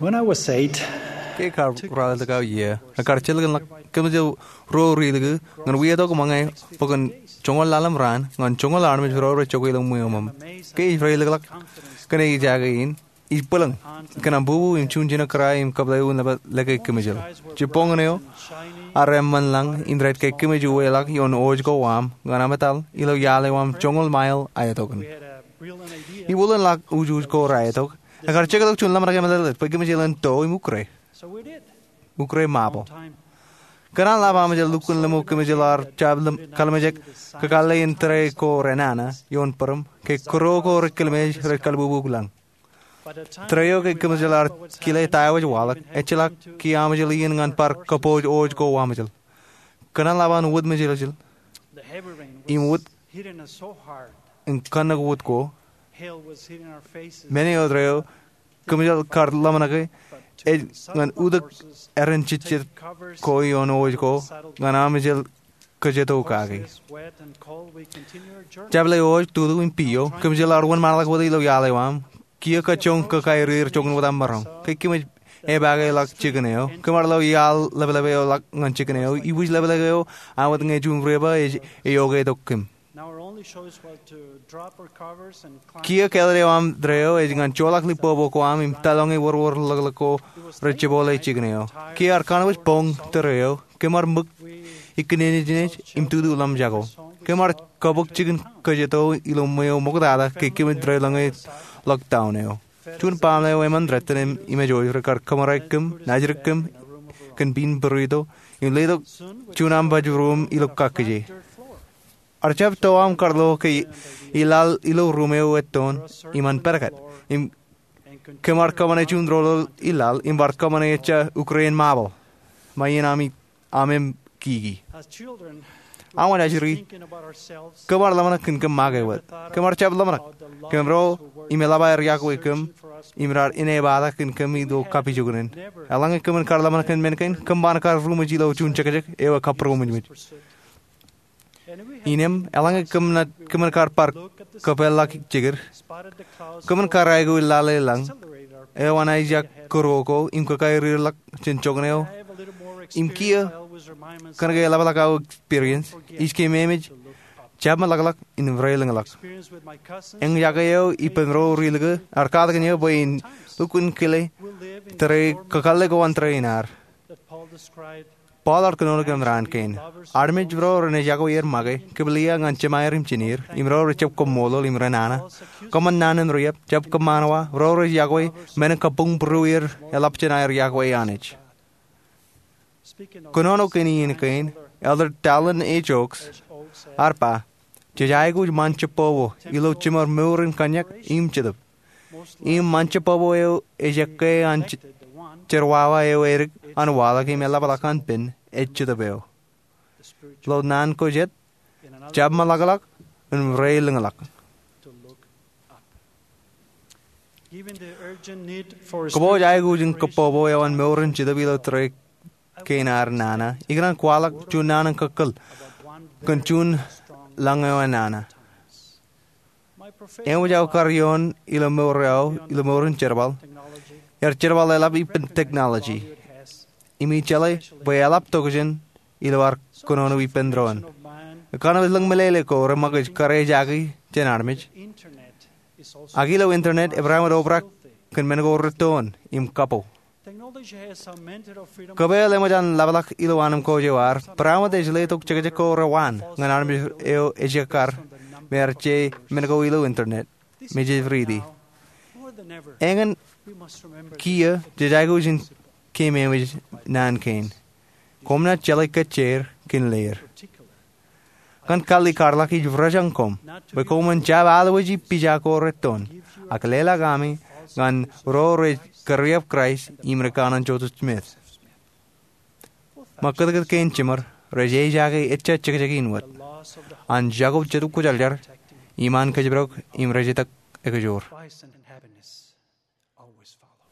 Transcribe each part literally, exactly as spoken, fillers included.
When I was eight, ke kar raeltōk aō iiō, ekar jilkinḷọk kōmijel ruo ri-likū ñan wia tok ṃōñā bwe kōn joñoul ḷalem raan ñan joñoul armej ro rej jokwe ilo ṃweo ṃōṃ. Ke ij reilikḷọk kōn ejaake in, ij bwilōñ kōn aṃ bubu im juon jinōkara im kōplewōj nōbar lōke kōmijel. Jibboñōn eo, armej eṃṃan lañ im rej kaikōmij uweḷọk ioon wōj ko aṃ ñan ametal ilo iaḷ eo aṃ joñoul mail aetok in. Im wūlin ḷọk wūjwūj ko raetok, ekar jektok juon ḷōmṇak emeḷeḷeid bwe kōmijel en to im ukre, ukre mabō. Kōn an ḷap amejel lukkuun ḷimo kōmijel ar jab ḷōmṇak kōmijek kōkalle in tōre ko renana ioon bōrōṃ ke kōrā ko rej kōḷmānḷọkjeṇ rej kaḷbubu lañ. Tōre eo ke kōmijel ar kile ta eo ej waḷọk, ejjeḷọk kiiō amejel iien ñan bar kōpooj wōj ko amejel. Kōn an ḷap an wōt mejeḷjeḷ im wōt im kanniōk wōt ko, men eo tōre eo kōmijel kar ḷōmṇake ej ñan utōk eran jejjet ko ioon wōj ko ñan amejel kōjjeto kaki. Jab le wōj, tutu im pijo, kōmijel ar wōnṃaanḷọk wōt ilo iaḷ eo aṃ. Kiiō kajjoñ kōkaerier joñan wōt aṃ maroñ. Kaikōmij epaake ḷọk jikin eo. Kōmar lo iaḷ ḷapḷap eo ḷọk ñan jikin eo. Ibwij ḷapḷap eo an wōt ñe juon riba ej eokwe tok kōm. Kiiō kāālōt eo aṃ tōre eo ej ñan joḷọk lipopo ko aṃ im tōlọñe wōrwōr ḷōkḷōk ko rej jepooḷe jikin eo. Kiiō ar kanooj boñ tōre eo. Kōmar ṃōk ikōṇaan nejin im tutu ḷōmṇak jako. Kōmar kōbōk jikin kōjjeto ilo ṃweo ṃoktata ke kōmij reiḷọñe lockdown eo. Juon baaṃle eo eṃṃan rot im imejooj rekar kōṃṃare kōm, najdik kōm kōn pin burrito im letok juon aṃ baj ruuṃ ilo kakkije. Ar jab to aṃ karḷo ke ilaḷ ilo ruuṃ eo ettoon im an pedket im kōmar kōṃṃane juon roḷoḷ ilaḷ im bar kōṃṃane ejja ukrein mabō ṃae in ami aṃ im kiki. Aṃ wōt ajri, kōmar ḷōmṇak kōn kōm make wōt. Kōmar jab ḷōmṇak. Kōm ro im eḷap aer iọkwe kōm im raar inepata kōn kōm ilo kapijuknen. Eḷaññe kōmin kar ḷōmṇak kōn men kein, kōm ban kar ruṃwij ilo juon jekjek eo ekabūroṃōjṃōj. Innām, eḷaññe kōm naaj, kōmin kar bar kōpeḷḷọk jekid, kōmin kar aikuj laḷ eo lañ eo an aijak kōrā ko im kōkaerier ḷọk jān joñan eo. Im kiiō, kōnke eḷapḷọk aō experience, ij keememej jab ṃōḷakḷọk im reilōñḷọk. Eñjake eo ippān ro ri-likū, ar katakin eō bwe in lukkuun kile tōre kōkalle ko an tōre in ad. Paul ear kōnono kōm raan kein. Armej ro ren ej iọkwe er make, kiplia ñan jemāer im jineer, im ro rej jab koṃṃoolol im renana. Kōṃṃan naan in riab, jab kōṃṃan wa, ro rej iọkwe, men in kabuñ būruō er, eḷap jān aer iọkwe Anij. Kōnono kōn iien kein, Elder Dallin H. Oaks ear ba, jej aikuj ṃaan jibbobo ilo jiṃor mour in kōnnyak im jetōb. Im ṃaan jibbobo eo ej ekkā an je-, jerọwawa eo edik an waḷọk im eḷapḷọk an pen ej jetōb eo. Ilo naan ko jet, jab ṃōḷakḷọk im reilōñḷọk. Kōpooj aikuj in kōbbobo eo an mour in jetōb ilo tōre kein ad nana, ikōṇaan kwaḷọk juon naan in kōkōl kōn juon lañ eo an nana. Eṃōj aō kar ioon ilo mour eo, ilo mour in jerbal, ear jerbal eḷap ippān technology. Im ij jeḷā bwe eḷap tokjān ilo ad kōnono ippān doon. Kōn aō lōñ meḷeḷe ko reṃōkaj kōrā ejaake jān armej. Ak ilo internet, ebar ṃōj obrak kōn men ko rettoon im kapo. Kōpeel eṃōj an ḷapḷọk ilo anemkwōj eo ad, barāinwōt ej letok jekjek ko rewaan ñan armej eo ej ekkar, im ear je men ko ilo internet, me jej riiti. Eñin kiiō jej aikuj in keememej naan kein. Koṃ naaj jeḷā kōjjeer kōn leer. Kōn kallikarḷọk ij rojañ koṃ, bwe koṃwin jab alwōji pija ko rettoon, ak leḷọk ami ñan ro rej kōrreoḷọk Kraist im ri-kanooj Joseph Smith. Ṃōk kōtkōt kein jiṃor rej ejaake ejja jekjek in wōt, an jako jetōb kwōjarjar, im an kōjparok im rej itok ekajoor.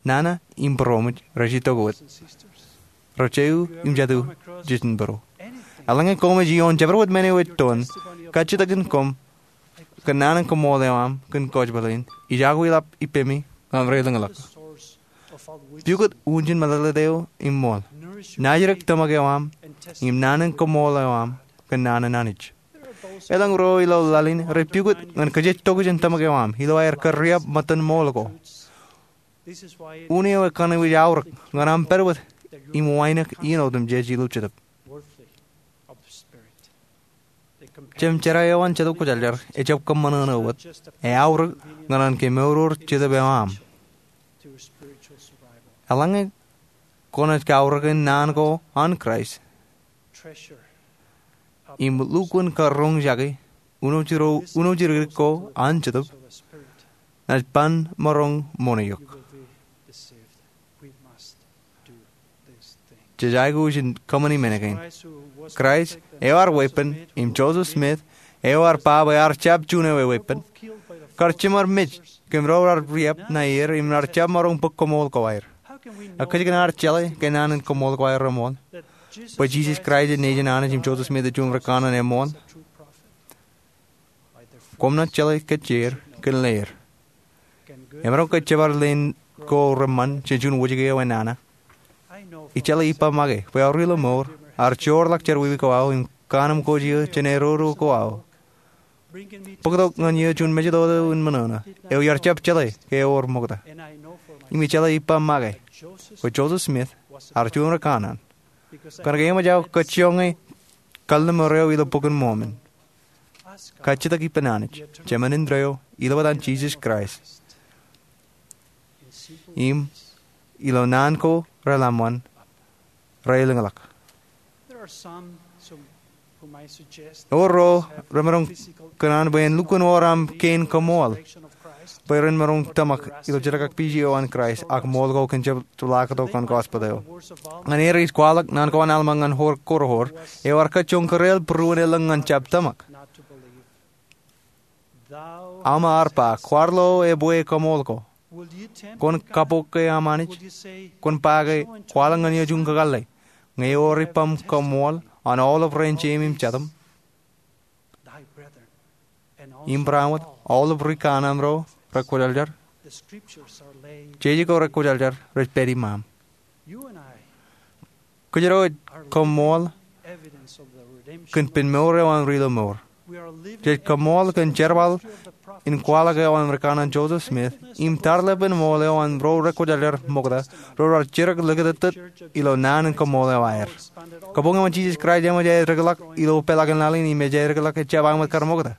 Nana im būroṃōj rej itok wōt. Ro jeiū im jatū, jiljino būruō. Eḷaññe koṃij ioon jabdewōt men eo ettoon, kajjitōkin koṃ kōn naan in koṃṃool eo aṃ kōn kōjparok in, ij aikuj ḷap ippemi ñan reilōñḷọk. Pukot unin meḷeḷe eo im ṃool. Naajdik tōmak eo aṃ im naan in koṃṃool eo aṃ kōn naan in Anij. Elōñ ro ilo laḷ in rej pukot ñan kōjatokjān tōmak eo aṃ ilo aer kōrriab ṃōttan ṃool ko. Unin eo ekanooj aorōk ñan aṃ pād wōt im wānōk iien otemjej ilo Jetōb. Jemjerā eo an Jetōb Kwōjarjar ejjab kōṃṃan eo wōt, eaorōk ñan an kemour Jetōb eo aṃ. Eḷaññe kwōnaaj kaorōk naan ko an Kraist im lukkuun karoñjake unoojidikdik ko an Jetōb, naaj ban maroñ ṃoṇe eok. Jej aikuj in kōṃṃani men kein. Kraist eo ad weeppān im Joseph Smith eo ad ba bwe ear jab juon ewe weeppān, kar jiṃor mej kōn ro raar riab ṇa er im raar jab maroñ bōk koṃṃool ko aer. Ak kōjkan ad jeḷā ke naan in koṃṃool ko aer reṃool, bwe Jisōs Kraist ej nejin Anij im Joseph Smith ej juon rikānaan eṃṃool? Koṃ naaj jeḷā kōjjeer kōn leer. Emaroñ ke jebar leen ko reṃṃan jān juon wōjke eo enana? Ijeḷā ippa make bwe aor ilo mour, ear joorḷọk jerọwiwi ko aō im kaanemkwōj eō jān eroro ko aō. Bōktok ñan eō juon mejatoto in ṃōṇōṇō eo iar jab jeḷā ke ewōr ṃokta. Im ijeḷā ippa make bwe Joseph Smith ear juon rikānaan. Kōnke eṃōj aō kajjioñ kalliṃur eo ilo Bok in Mormon. Kajjitōk ippān Anij, Jemān indeeo, ilo etan Jisōs Kraist. Im ilo naan ko reḷōmṇak, reilōñḷọk. Ewōr ro remaroñ kōṇaan bwe en lukkuun wōr aṃ kein koṃṃool bwe ren maroñ tōmak ilo jeḷākakpeje eo an Kraist ak ṃool ko kōn jepḷaaktok an gospel eo. Ñan er ij kwaḷọk naan ko an Alma ñan Korihor eo ear kajjioñ kōreel būruon elōñ ñan jab tōmak. Alma ear ba, kwaar lo ebwe koṃṃool ko? Kwōn kapoke aṃ Anij? Kwōn ba ke, kwaḷọk ñan eō juon kakōḷḷe, ñe ewōr ippaṃ koṃṃool an aolep rein jeim im jatūṃ, im barāinwōt aolep rikānaan ro rekwōjarjar? Jeje ko rekwōjarjar rej pād iṃaaṃ. Kōjro ej koṃṃool kōn pen mour eo an ri ilo mour. Jej koṃṃool kōn jerbal in kwaḷọk eo an rikānaan Joseph Smith im tarlepen ṃool eo an ro rekwōjarjar ṃokta ro raar jidik likūtūtūt ilo naan in koṃṃool eo aer. Kabuñ eo an Jisōs Kraist eṃōj aedikḷọk ilo peḷaakin laḷ in im ej aedikḷọk ejjab aṃ wōt kar ṃokta.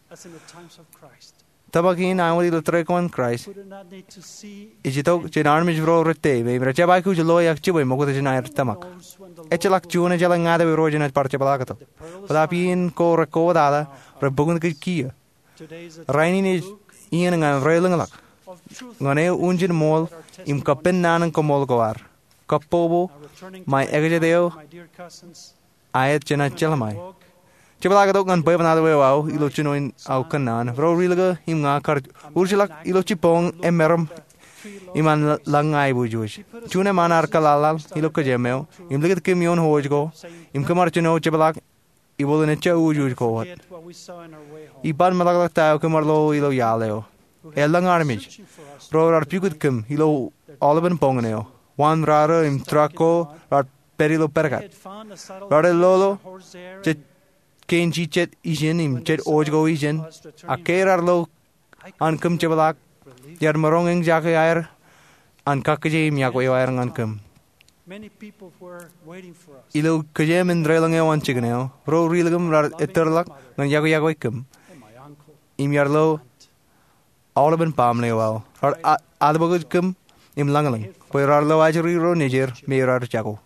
Tōmak in aṃ wōt ilo tōre ko an Kraist ej itok jān armej ro rej tōmak im rejjab aikuj loe ak jibwe ṃokta jān aer tōmak. Ejjeḷọk juon ejeḷā ñāāt ewe ro jenaaj bar jepḷaaktok. Bōtaab iien ko rekwoḷọk, rej bōk kōj kiiō. Rainin ej iien ñan reilōñḷọk ñan eō unin ṃool im kappān naan in koṃṃool ko ad. Kabbokbok ṃae ekajet eo aet jenaaj jeḷā ṃae. Jepḷaaktok ñan bwebwenato eo aō ilo jino in aō kōnnaan. Ro ri-lōke im ña kar urjilọk ilo jibboñ emaroñ im an lañ aiboojoj. Juon eṃṃan ear kōḷaḷḷaḷ ilo kōjām eo im likūt kōm ioon hooid ko im kōm ar jino jepḷaak ibooḷ in ejja uwuj ko wōt. Iban meḷọkḷọk ta eo kōm ar lo ilo iaḷ eo. Elōñ armej ro raar pukot kōm ilo aolepen boñōn eo. Waan rarō im truck ko raar pād ilo pedkat. Raar lolo jet kein jijet ijin im jet hooid ko ijin, ak ke raar lo an kōm jepḷaak, iar maroñ eñjake aer an kakkije im yokwe eo aer ñan kōm. Ilo kōjām in deḷọñ eo an jikin eo, ro ri-lōke kōm raar ettōrḷọk ñan yokwe yokwe kōm im iar lo aolepen baaṃle eo aō. Raar a- aḷbokij kōm im lañlōñ bwe raar lo ajri ro nejier me raar jako.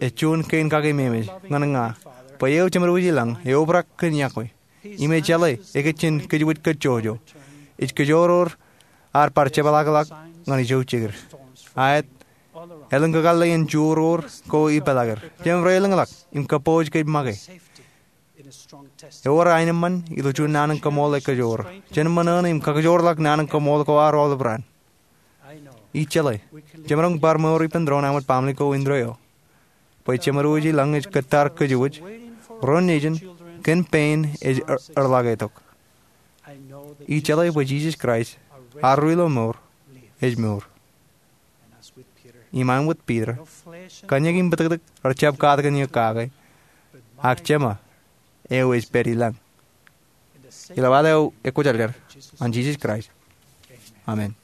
Ej juon kein kakememej ñan ña bwe eō Jemedwōj ilañ eobrak kōn yokwe im ej jeḷā ekōjjien kōjwōj kōjjojo. Ej kōjoror ad bar jepḷaakḷọk ñan ijo jikier. Aet, elōñ kakōḷḷe in joror ko ipeḷaaker. Jemem reilōñḷọk im kabbokbok kōj make. Ewōr aenōṃṃan ilo juon naan in koṃṃool ekajoor jān ṃōṇōṇō im kakōjorḷọk naan in koṃṃool ko ad aolep raan. Ijeḷā jemaroñ bar mour ippān doon aṃ wōt baaṃle ko indeeo bwe Jemedwōj ilañ ej kōttar kōjwōj ro nejin kōn pein ej er- erḷọk etok. Ijeḷā bwe Jisōs Kraist, ad ri ilo mour, ej mour. Iṃaan wōt Piter, kōn eñin im bōtōktōk rej jab katakin eok kake, ak Jema eo ej pād i lañ. Ilo ad eo ekwōjarjar, an Jisōs Kraist, amen.